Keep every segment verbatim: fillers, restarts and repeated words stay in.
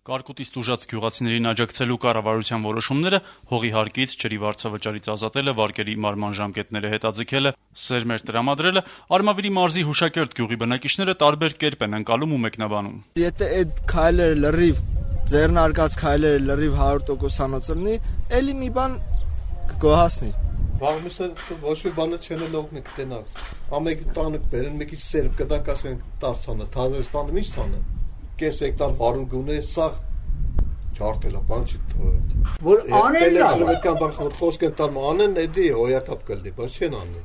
Կարկուտից տուժած գյուղացիներին աջակցելու կառավարության որոշումները հողի հարկից, ջրի վարձավճարից ազատելը, վարկերի մարման ժամկետները հետաձգելը, սերմեր տրամադրելը Արմավիրի մարզի Հուշակերտ գյուղի բնակիչները տարբեր կերպ են ընկալում ու մեկնաբանում։ Եթե այդ քայլերը լրիվ ձեռնարկած քայլերը լրիվ հարյուր տոկոսանոց լինի, էլի մի բան կգոհացնի։ Բաղմիսը ոչ մի բանը չեն լողնի կտենաս։ Ամեկ տանը բերեն մի քիչ սերմ կդակ ասեն տարցանը, Թազերստանը ինչ ցանը։ Կես հեկտար վարուն գունե սա ջարտելա բան չի թողել։ Որ անեն լավ։ Պետքան բան խոսք են տալ անեն, էդի հոյակապ կլդի, բայց չեն անի։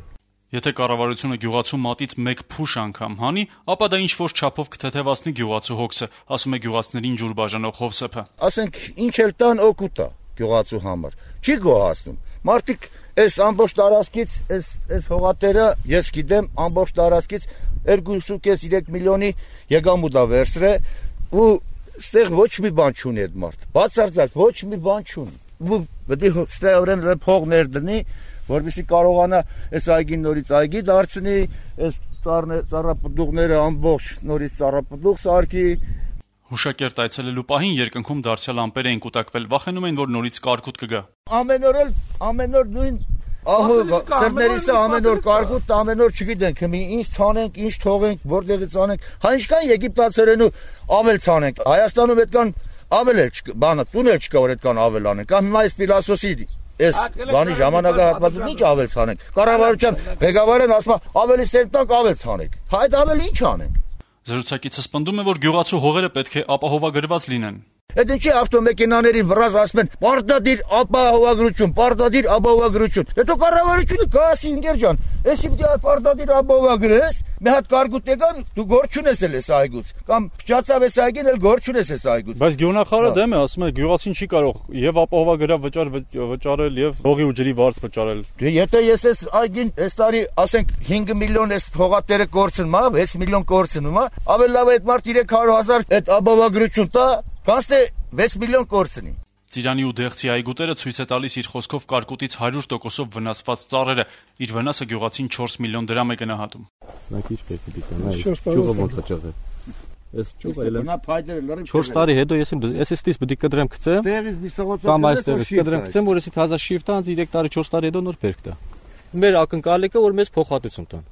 Եթե կառավարությունը գյուղացու մատից մեկ փուշ անգամ հանի, ապա դա ինչ որ չափով կթեթևացնի գյուղացու հոգսը, ասում է գյուղացիներին ջուր բաժանող Հովսեփը։ Ասենք ինչ էլ տան օգուտ է գյուղացու համար։ Չի գոհացնում։ Մարդիկ այս ամբողջ տարածքից, այս այս հողատերը, ես գիտեմ, ամբողջ տարածքից երկու միլիոնի եկամուտ է վերցրել ու ստեղ ոչ մի բան չունի այդ մարդ։ Բացարձակ ոչ մի բան չունի։ Ու պետք է ստեղորեն փող ներդնի, որովհետեւ կարողանա այս այգին նորից այգի դարձնի, այս ծառապտուղները ամբողջ նորից ծառապտուղ սարքի։ Հուշակերտ այցելելու պահին երկնքում դարձյալ ամպեր էին կուտակվել, վախենում էին, որ նորից կարկուտ կգա։ Ամեն օր էլ ամեն օր նույն ահա սերմերիսը ամեն օր կարկուտ, ամեն օր չգիտենք, մի ինչ ցանենք, ինչ թողենք, որտեղից անենք։ Հա ինչքան եգիպտացերենու ավել ցանենք։ Հայաստանում այդքան ավել էլ բանը տուն էլ չկա, որ այդքան ավել անենք։ Կամ հիմա այս ֆիլոսոֆի Այս բանի ժամանակահատվածում ինչ ավել ցանենք։ Կառավարության ղեկավարն ասում է ավելի սերմ տանք, ավել ցանենք։ Հա այդ ավել ինչ անենք։ Զրուցակիցը պնդում է, որ գյուղացու հողերը պետք է ապահովագրված լինեն։ Այդ ինչի ավտոմեքենաների վրազ ասում են պարտադիր ապահովագրություն, պարտադիր ապահովագրություն։ Հետո կառավարությունը գասի ինգեր ջան, էսի պիտի պարտադիր ապահովագրես, մի հատ կարգուտ եկան, դու գործ չունես էլ այս այգուց, կամ փչացավ այս այգին էլ գործ չունես այս այգուց։ Բայց գյուղնախարարը դեմ է, ասում է գյուղացին չի կարող եւ ապահովագրավ վճար վճարել եւ հողի ու ջրի վարձ վճարել։ Դե եթե ես այս այգին այս տարի ասենք հինգ միլիոն այս հողատերը կորցնում, հա, վեց միլիոն կորցնում, հա, ավելի լավ է այդ մարդ երեք հարյուր հազար այդ ապահովագրություն տա, կանց թե վեց միլիոն կորցնի։ Ծիրանի ու Դեղցի այգուտերը ցույց է տալիս իր խոսքով կարկուտից հարյուր տոկոսով վնասված ծառերը, իր վնասը գյուղացին չորս միլիոն դրամ է գնահատում։ Նա քիչ պետք է դիտանա, ճյուղը ոնց է ճղել։ Այս ճյուղը էլ նա փայտերը լրիվ չորս տարի հետո ես ես էստից պետք է կդրեմ գցեմ։ Տեղից մի սողոցով կամ այստեղից կդրեմ գցեմ, որ էսի թազա շիֆտանց երեք տարի չորս տարի հետո նոր բերք տա։ Մեր ակնկալիքը որ մեզ փոխհատուցում տան։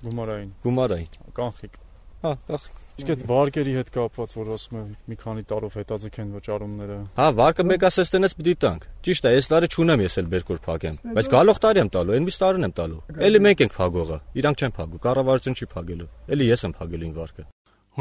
Գումարային։ Գումարային։ Կանխիկ։ Հա, կանխիկ։ Իսկ այդ վարկերի հետ կապված, որ ասում է մի քանի տարով հետաձգեն վճարումները։ Հա, վարկը մեկ ասեստենից պիտի տանք։ Ճիշտ է, այս տարի չունեմ ես էլ բերքոր փակեմ, բայց գալող տարի եմ տալու, այն միշտ տարին եմ տալու։ Էլի մենք ենք փագողը, իրանք չեն փագու, կառավարություն չի փագելու։ Էլի ես եմ փագելու ին վարկը։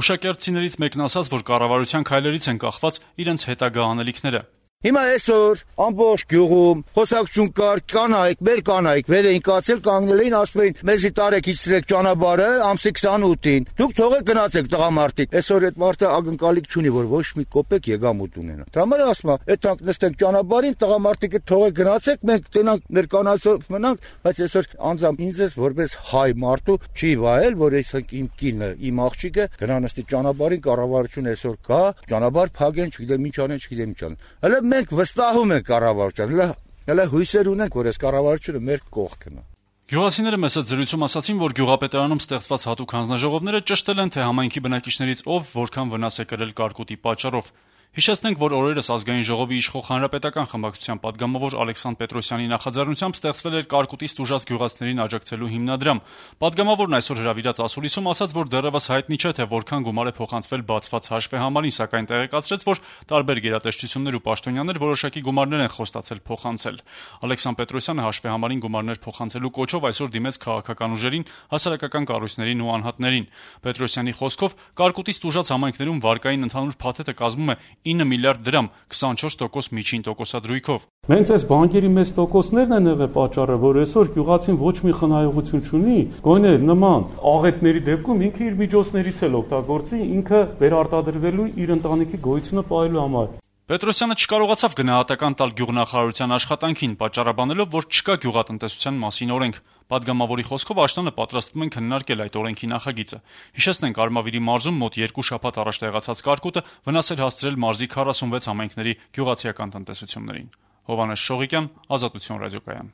Հուշակերտցիներից մեկն ասաց, որ կառավարության քայլերից են կախված իրենց հետագա անելիքները։ Հիմա այսօր ամբողջ գյուղում խոսակցություն կար, կանայք, մեր կանայք վեր էին կացել, կանգնել էին, ասում էին մեզի տարեք իջրեք ճանապարհը ամսի քսանութին։ Դուք թողեք գնացեք տղամարդիկ։ Այսօր այդ մարդը ակնկալիք չունի, որ ոչ մի կոպեկ եկամուտ ունենա։ Դրա համար ասում է, այդ թանկ նստենք ճանապարհին, տղամարդիկը թողեք գնացեք, մենք տենանք մեր կանացով մնանք, բայց այսօր անձամբ ինձ ես որպես հայ մարդու չի վայել, որ այսինքն իմ կինը, իմ աղջիկը գնա նստի ճանապարհին, կառավարությունը այսօր կա, ճանապարհ փակեն, չգիտեմ ինչ անեն, չգիտեմ ինչ անեն։ Հələ մենք վստահում ենք կառավարությանը, հələ հույսեր ունենք, որ այս կառավարությունը մեր կողքն է։ Գյուղացիները մեծ զրույցում ասացին, որ գյուղապետարանում ստեղծված հատուկ հանձնաժողովները ճշտել են, թե համայնքի բնակիչներից ով որքան վնաս է կրել կարկուտի պատճառով։ Հիշեցնենք, որ օրերս ազգային ժողովի իշխող հանրապետական խմբակցության падգամավոր Ալեքսանդր Պետրոսյանի նախաձեռնությամբ ստեղծվել էր կարկուտից տուժած գյուղացիներին աջակցելու հիմնադրամ։ Падգամավորն այսօր հրավիրած ասուլիսում ասաց, որ դեռևս հայտնի չէ, թե որքան գումար է փոխանցվել բացված հաշվեհամարին, սակայն տեղեկացրեց, որ տարբեր գերատեսչություններ ու պաշտոնյաներ որոշակի գումարներ են խոստացել փոխանցել։ Ալեքսանդր Պետրոսյանը հաշվեհամարին գումարներ փոխանցելու կոչով այսօր դիմեց քաղաքական ուժերին, հասարակական կառույցներին ու անհատներին։ Պետրոսյանի խոսքով կարկուտից տուժած համայնքներում վարկային ընդհանուր փաթեթը կազմում է ինը միլիարդ դրամ, քսանչորս տոկոս միջին տոկոսադրույքով։ Մենք այս բանկերի մեծ տոկոսներն են եղել պատճառը, որ այսօր գյուղացին ոչ մի խնայողություն չունի, գոնե նման աղետների դեպքում ինքը իր միջոցներից էլ օգտագործի, ինքը վերարտադրվելու իր ընտանիքի գոյությունը պահելու համար։ Պետրոսյանը չկարողացավ գնահատական տալ գյուղնախարարության աշխատանքին, պատճառաբանելով, որ չկա գյուղատնտեսության մասին օրենք։ Падգամավորի խոսքով աշտանը պատրաստվում են քննարկել այդ օրենքի նախագիծը։ Հիշեցնենք, Արմավիրի մարզում մոտ երկու շաբաթ առաջ տեղացած կարկուտը վնաս էր հասցրել մարզի քառասունվեց համայնքների գյուղացիական տնտեսություններին։ Հովհաննես Շողիկյան, Ազատություն ռադիոկայան։